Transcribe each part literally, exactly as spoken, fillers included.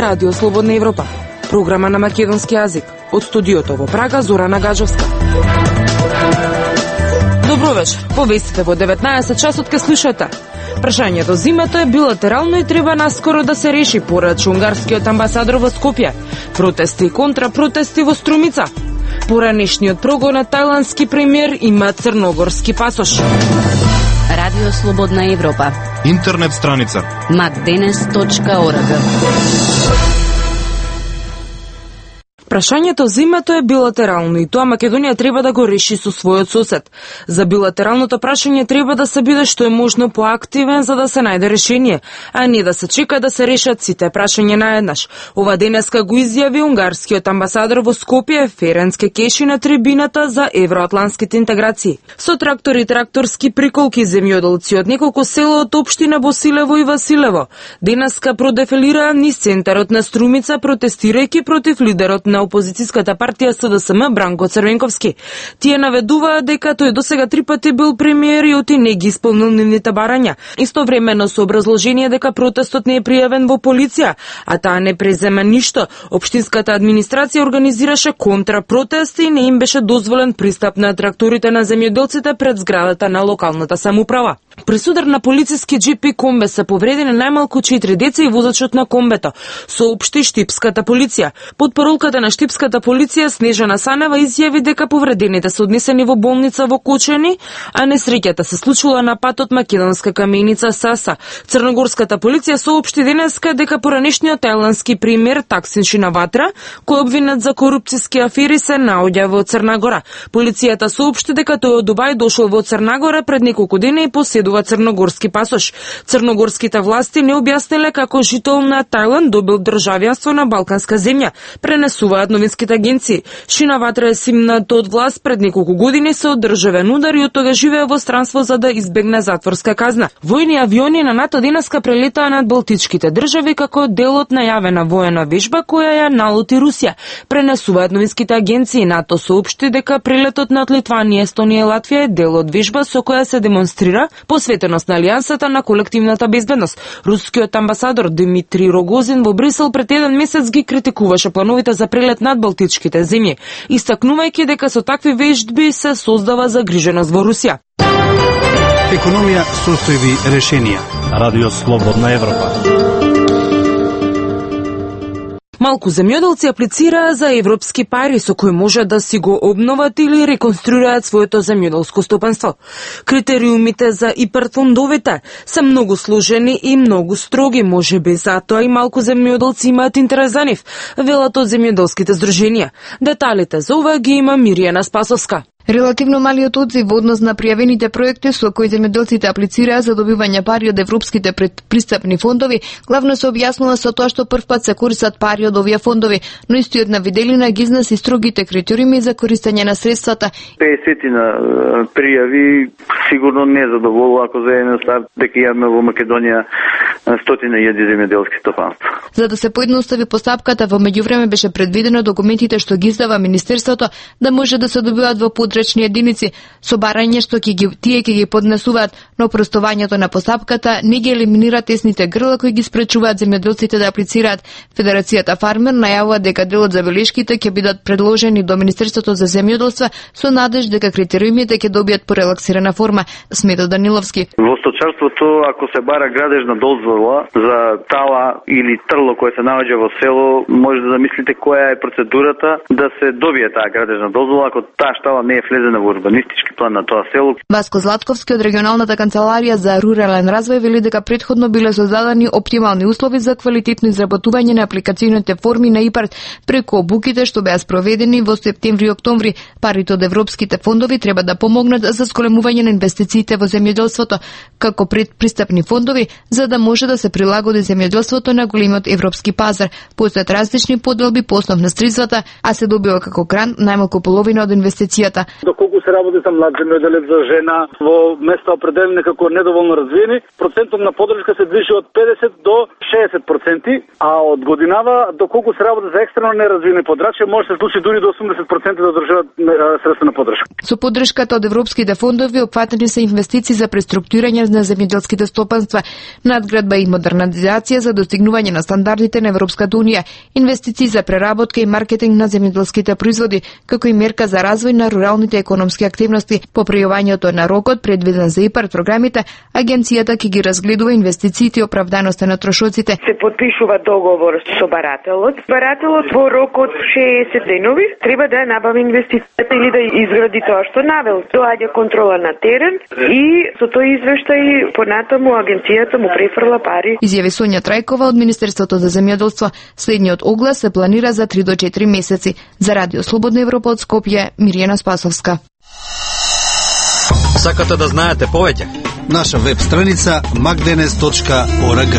Радио Слободна Европа, програма на македонски јазик. Од студиото во Прага, Зорана Гаджовска. Добро вечер. Повестите во деветнаесет часот ке слушате. Прашањето зимето е билатерално и треба наскоро да се реши, порача унгарскиот амбасадор во Скопје. Протести и контрапротести во Струмица. Поранешниот прогон на тајландски премиер има црногорски пасош. Радио Слободна Европа. Интернет страница макденес точка орг. Прашањето зимето е билатерално и тоа Македонија треба да го реши со својот сосед. За билатералното прашање треба да се биде што е можно поактивен за да се најде решение, а не да се чека да се решат сите прашања наеднаш. Ова денеска го изјави унгарскиот амбасадор во Скопје Ференц Кекеши на трибината за евроатлантските интеграции. Со трактори и тракторски приколки земјоделци од неколку села од општина Босилево и Василево денеска продефилираа низ центарот на Струмица протестирајќи против лидерот на опозицијската партија СДСМ Бранко Црвенковски. Тие наведуваат дека тој досега три пати бил премиер и оти не ги исполнил нивните барања. Истовремено со образложение дека протестот не е пријавен во полиција, а таа не презема ништо. Општинската администрација организираше контрапротести и не им беше дозволен пристап на тракторите на земјоделците пред зградата на локалната самоуправа. При судар на полициски џипи комбе се повредени најмалку четири деца и возачот на комбето, соопшти штипската полиција. Под паролката на штипската полиција Снежана Санева изјави дека повредените се однесени во болница во Кочани, а несреќата се случила на патот Македонска каменица Саса. Црногорската полиција соопшти денеска дека поранешниот тајландски премиер Таксин Шинаватра, кој обвинет за корупцијски афери, се наоѓа во Црна Гора. Полицијата соопшти дека тој од Дубај дошол во Црна Гора пред неколку дена и поседува црногорски пасош. Црногорските власти не објасниле како жител на Тајланд добил државјанство на балканска земја, пренесуваат новинските агенции. Шинаватра е симнат од власт пред неколку години со државен удар и од тога живее во странство за да избегне затворска казна. Војни авиони на НАТО денеска прелетаа над балтичките држави како дел од најавена воена вежба која ја налути Русија. Пренесуваат новинските агенции. НАТО соопшти дека прелетот над Литванија, Естонија и Латвија е дел од вежба со која се демонстрира посветеност на алијансата на колективната безбедност. Рускиот амбасадор Дмитрий Рогозин во Брисел пред еден месец ги критикуваше плановите за прелет над балтичките земји, истакнувајќи дека со такви вежби се создава загриженост во Русија. Економија, состојби, решенија. Радио Слободна Европа. Малку земјоделци аплицираа за европски пари со кои може да си го обноват или реконструираат своето земјоделско стопанство. Критериумите за ИПАРД фондовите се многу сложени и многу строги, можеби затоа и малку земјоделци имаат интерес за нив, велат од земјоделските здруженија. Деталите за ова ги има Миријана Спасовска. Релативно малиот одзив во однос на пријавените проекти со кои земјоделците аплицираа за добивање пари од европските предпристапни фондови, главно се објаснува со тоа што првпат се користат пари од овие фондови, но истиот на виделина ги износи строгите критериуми за користење на средствата. песет на пријави сигурно не задоволува ако за еден старт дека имаме во Македонија стотина илјади земјоделски стопанства. За да се поедностави постапката, во меѓувреме беше предвидено документите што ги издава Министерството да може да се добиваат во подречни единици со барање што ќе ги тие ќе ги поднесуваат, но простувањето на постапката не ги елиминира тесните грла кои ги спречуваат земјоделците да аплицираат. Федерацијата Фармер најавува дека дел од забелешките ќе бидат предложени до Министерството за земјоделство со надеж дека критериумите ќе добијат порелаксирана форма, смета Даниловски. Во сточарството, ако се бара градежна дозвола за тала или трло кое се наоѓа во село, може да замислите која е процедурата да се добие таа градежна дозвола ако таа штала не е влезена во урбанистички план на тоа село. Васко Златковски од регионалната канцеларија за рурален развој вели дека претходно биле создадени оптимални услови за квалитетно изработување на апликацијните форми на ИПАРД преку обуките што беа спроведени во септември и октомври. Парите од европските фондови треба да помогнат за зголемување на инвестициите во земјоделството како предпристапни фондови за да може да се прилагоди земјоделството на големиот европски пазар. Постојат различни поделби по основ на средствата, а се добива како грант најмалку половина од инвестицијата. Доколку се работи за млад земјоделец, за жена во места определени како недоволно развиени, процентот на поддршка се движи од педесет до шеесет проценти, а од годинава доколку се работи за екстрено неразвиени подрачја, може да се случи дури до осумдесет проценти да држават средства на поддршка. Со поддршката од европските фондови опфатени се инвестиции за преструктурирање на земјоделските стопанства, надградба изградба и модернизација за достигнување на стандардите на Европската унија, инвестиции за преработка и маркетинг на земјоделските производи, како и мерка за развој на руралните економски активности. По пријавањето на рокот предвиден за ИПАРД програмите, агенцијата ќе ги разгледува инвестициите и оправданоста на трошоците. Се подпишува договор со барателот. Барателот во рок од шеесет денови треба да набави инвестицијата или да изгради тоа што навел. Доаѓа контрола на терен и со тој извештај понатаму агенцијата му префрла пари. Изјави Сонја Трајкова од Министерството за земјоделство. Следниот оглас се планира за три до четири месеци. За Радио Слободна Европа од Скопје, Мирјана Спасовска. Сакате да знаете повеќе? Наша веб страница макденес точка орг.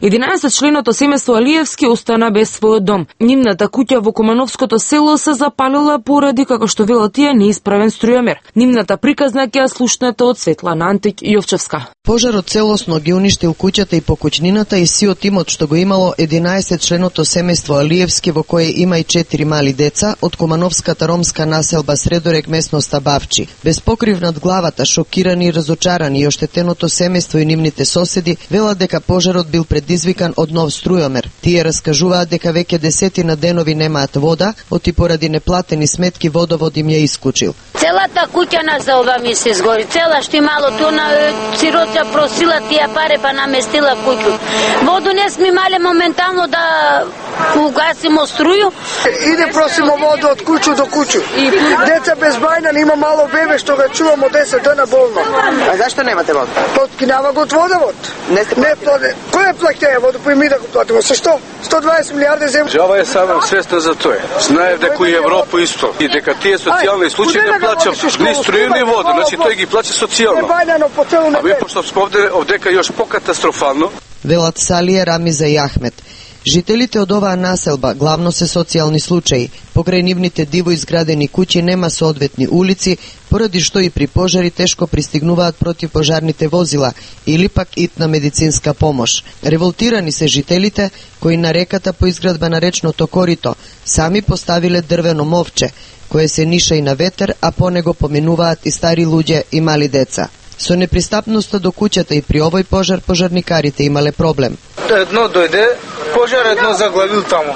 единаесетчленото семејство Алиевски остана без својот дом. Нивната куќа во Кумановското село се запалила поради, како што велат тие, неисправен струјомер. Нивната приказна ќе ја слушнете од Светлана Антик Јовчевска. Пожарот целосно ги уништил куќата и покуќнината и сиот имот што го имало единаесетчленото семејство Алиевски, во кое има и четири мали деца, од Кумановската ромска населба Средорек, местноста Бавчи. Без покрив над главата, шокирани и разочарани и оштетеното семејство и нивните соседи велат дека пожарот бил предизвикан од нов струјомер. Тие раскажуваат дека веќе десетина денови немаат вода, оти поради неплатени сметки водовод им ја исклучил. Целата куќа на заоба ми се згори, цела што имало тоа на сироца просила тие пари па наместила куќу. Воду не сме имале моментално да угасимо струју. Иде просимо воду од куќу до куќу. Деца без бајна, има мало бебе што го чувамо десет дена болно. А зашто немате вода? Подкинава го од водовод. Не сте плати. Кој плаќа воду, па и ми да го платиме. Со што? сто дваесет милиарди земја. Ова е само свесна за тоа. Знаев дека и Европа исто и дека тие социјални случаи не плаќаат ни струја ни вода, значи тој ги плаќа социјално. А ви пошто овде овдека још покатастрофално. Велат Салија, Рамиза и Ахмет. Жителите од оваа населба главно се социјални случаи. Покрај нивните диво изградени куќи нема соодветни улици, поради што и при пожари тешко пристигнуваат противпожарните возила или пак итна медицинска помош. Револтирани се жителите кои на реката по изградба на речното корито сами поставиле дрвено мовче, кое се ниша и на ветер, а по него поминуваат и стари луѓе и мали деца. Со непристапноста до куќата и при овој пожар пожарникарите имале проблем. Едно дојде, пожар едно заглавил таму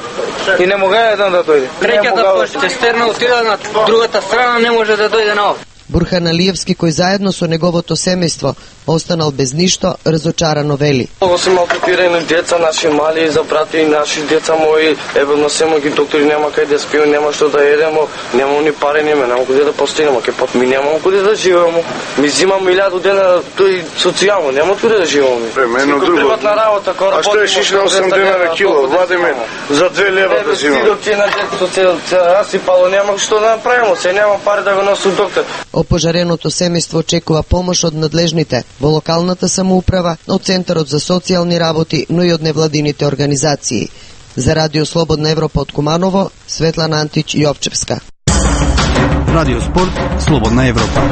и не мога едно да дојде. Третјата цистерна отида на другата страна, не може да дојде на овде. Бурхан Алиевски, кој заедно со неговото семејство останал без ништо, разочарано вели. Ovo се малтретирани деца, наши мали за брати и наши деца мои, еве носемо ги доктори, нема кај да спиеме, нема што да едемо, нема ни пари, нема, нема каде да постигнеме, ке пат ми нема каде да живееме. Ми зимам илјаду дена тој социјално, нема каде да живееме. Премено друго. Приватна работа, кога а што е шиш на осем дена на кило, вадиме за две лева да зимаме. Доктор на детето се расипало, нема што да направиме, се нема пари да го носам доктор. Опожареното семејство очекува помош од надлежните во локалната самоуправа, од Центарот за социјални работи, но и од невладините организации. За Радио Слободна Европа од Куманово, Светлана Антич Јовчевска. Радио Спорт, Слободна Европа.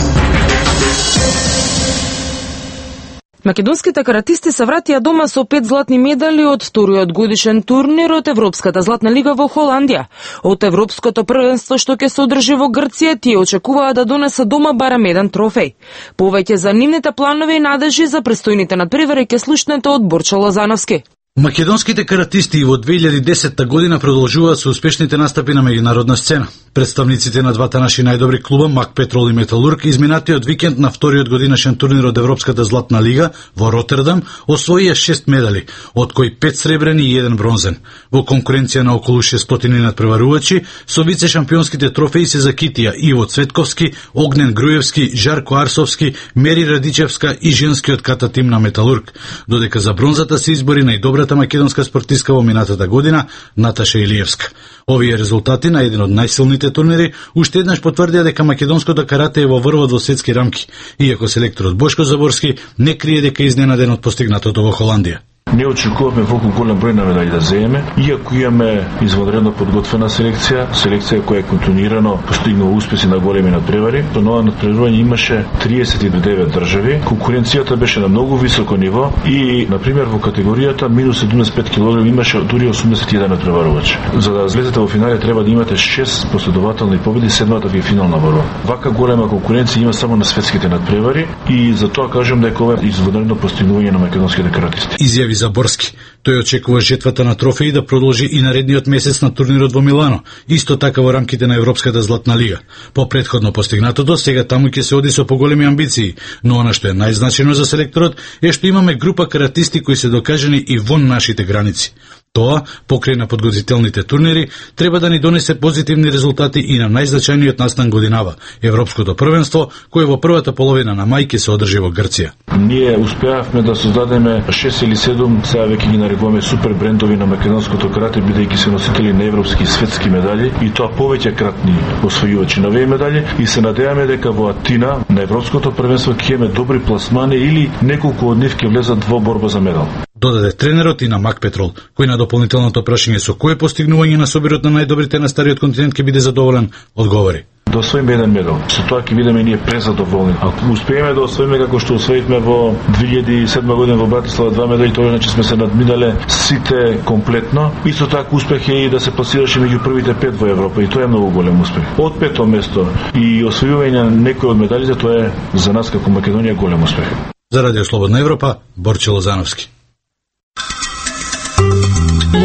Македонските каратисти се вратија дома со пет златни медали од вториот годишен турнир од Европската златна лига во Холандија. Од Европското првенство што ќе се одржи во Грција, тие очекуваат да донесат дома барем еден трофеј. Повеќе за нивните планови и надежи за престојните надпревари ќе слушнете од Борчо Лозановски. Македонските каратисти во две илјади и десета година продолжуваат со успешните настапи на меѓународна сцена. Представниците на двата наши најдобри клуба, Мак Петрол и Металург, изминатиот викенд на вториот годинашен турнир од Европската златна лига во Ротердам освоија шест медали, од кои пет сребрени и еден бронзен. Во конкуренција на околу шестстотини надпреварувачи, со вице шампионските трофеи се закитија Иво Цветковски, Огнен Груевски, Жарко Арсовски, Мери Радичевска и женскиот ката тим на Металург, додека за бронзата се избори најдобрата македонска спортистка во минатата година, Наташа Илиевска. Овие резултати на еден од најсилните турнири уште еднаш потврдија дека македонското карате е во врвот во светски рамки, иако селекторот Бошко Заборски не крие дека е изненаден од постигнатото во Холандија. Не очекуваме волку голем број на медали да земеме, иако имаме извонредно подготвена селекција, селекција која е континуирано постигнала успеси на големи надпревари. До нова надпревање имаше триесет и девет држави. Конкуренцијата беше на многу високо ниво и, на пример, во категоријата минус седумдесет и пет килограми имаше дури осумдесет и еден надпреварувач. За да влезете во финале треба да имате шест последователни победи, седмата ви е финална борба. Вака голема конкуренција има само на светските надпревари и затоа кажам дека ова е извонредно постигнување на македонските каратисти. Изјави за Борски. Тој очекува жетвата на трофеи да продолжи и наредниот месец на турнирот во Милано, исто така во рамките на Европската златна лига. По претходно постигнатото, сега таму ќе се оди со поголеми амбиции, но она што е најзначајно за селекторот е што имаме група каратисти кои се докажани и вон нашите граници. Тоа, покрај на подготвителните турнири, треба да ни донесе позитивни резултати и на најзначајниот настан годинава, Европското првенство, кое во првата половина на мај ќе се одржи во Грција. Ние успеавме да создадеме шест или седум, сега веќе ги нарекуваме супер брендови на македонското карате, бидејќи се носители на европски и светски медали, и тоа повеќе кратни освојувачи на овие медали, и се надеваме дека во Атина на Европското првенство ќе имаме добри пласмани или неколку од нив ќе влезат во борба за медал. Додаде тренерот и на Мак Петрол, кој на дополнителното прашање со кое постигнување на собирот на најдобрите на стариот континент ќе биде задоволен, одговори: да освоиме еден медал. Со тоа ќе бидеме ние презадоволни. Ако успееме да освоиме како што освоивме во две илјади и седма година во Братислава два медали, тоа значи сме се надминале сите комплетно. Исто така успех е и да се пласираше меѓу првите пет во Европа, и тоа е многу голем успех. Од пето место и освојување на некој од медалите, тоа е за нас како Македонија голем успех. За Радио Слободна Европа, Борче Лозановски.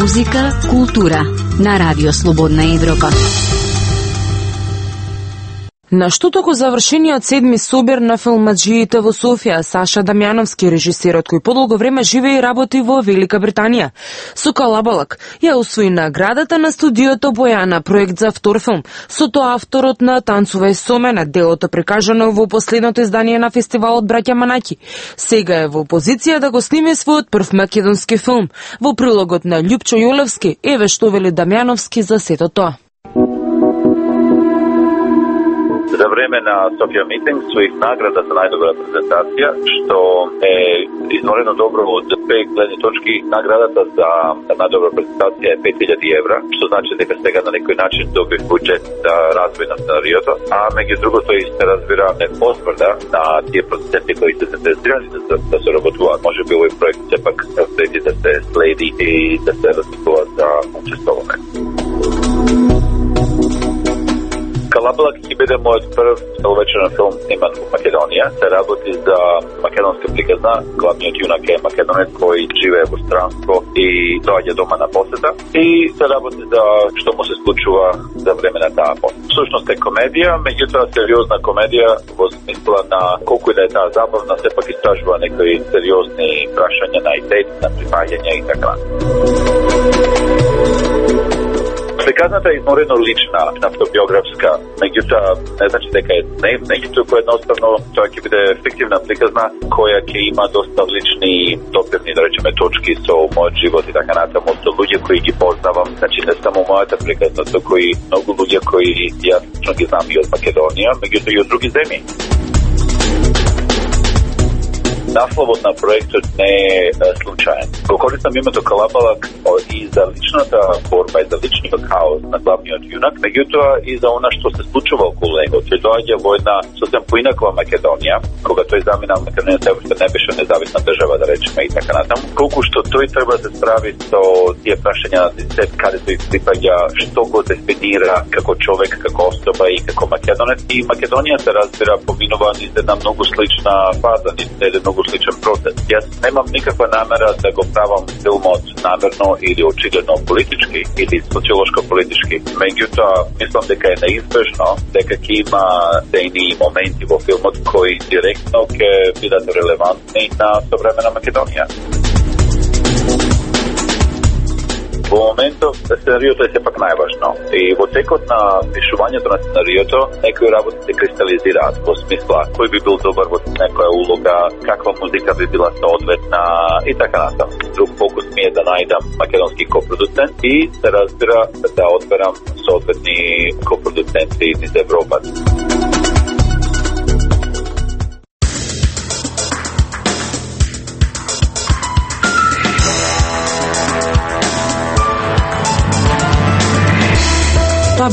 Музика, култура на Радио Слободна Европа. На што току завршениот седми собир на филмаджиите во Софија, Саша Дамјановски, режисерот кој подолго време живее и работи во Велика Британија, со Калабалак ја усвои наградата на студиото Бојана, проект за втор филм, со тоа авторот на Танцувај со мене, делото прикажано во последното издание на фестивалот Браќа Манаки. Сега е во позиција да го сниме својот прв македонски филм. Во прилогот на Љупчо Јолевски, еве што вели Дамјановски за сето тоа. За време на Софија Митинг својих награда за најдобра презентација, што е изморено добро од две гледни точки. Наградата за најдобра презентација е пет илјади евра, што значи дека сега на некој начин добив буџет за развој на сценариото, а меѓу другото и се разбира не потврда на тие продуценти кои се заинтересирани да, да се работуваат. Може би овој проект сепак следи да се следи и да се размислува за учествување. Калабалак ќе биде мојот прв целовечерен филм сниман во Македонија. Се работи за македонска приказна. Главниот јунак е македонец кој живее во странство и доаѓа дома на посета. И се работи за што му се случува за време на таа посета. Всушност е комедија, меѓутоа сериозна комедија во смисла на колку и да е таа забавна, сепак истражува некои сериозни прашања на идеи, на припаѓања и така. Приказната е изморено лична, автобиографска, меѓутоа не значи дека е днев, меѓутоа едноставно тоа ќе биде фиктивна приказна која ќе има доста лични допирни, да речеме, точки со мојот живот и така натаму, со луѓе кои ги познавам, значи не само мојата приказна, туку и многу луѓе кои јас лично ги знам и од Македонија, меѓутоа и од други земји. Насловот на проектот не е случаен. Го користам името Калабалак и за личната борба и за личниот хаос на главниот јунак, меѓутоа и за она што се случува околу него. Тој доаѓа во една сосем поинаква Македонија, кога тој замина Македонија се уште не беше независна држава, да речеме, и така натаму. Колку што тој треба да се справи со тие прашања на десет, каде тој припаѓа, што го дефинира како човек, како особа и како македонец. И Македонија се разбира поминува низ една многу слична фаза, низ еден многу сличен процес. Јас немам никаква намера да го правам филмот намерно или очигледно политички или социолошко-политички. Меѓутоа, мислам дека е неизбежно дека ќе има дејни моменти во филмот кои директно ќе бидат релевантни на современа Македонија. Во моментов сценариото е сепак најважно и во текот на пишувањето на сценариото некои работи се кристализираат во смисла кој би бил добар во некоја улога, каква музика би била соодветна и така натаму. Друг фокус ми е да најдам македонски копродуцент и се разбира да одберам соодветни копродуценти из Европа.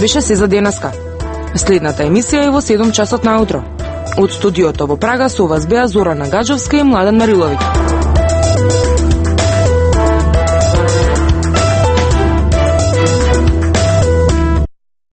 беше се за денеска. Следната емисија е во седум часот наутро. Од студиото во Прага со вас беа Зорана Гаджовска и Младен Мариловиќ.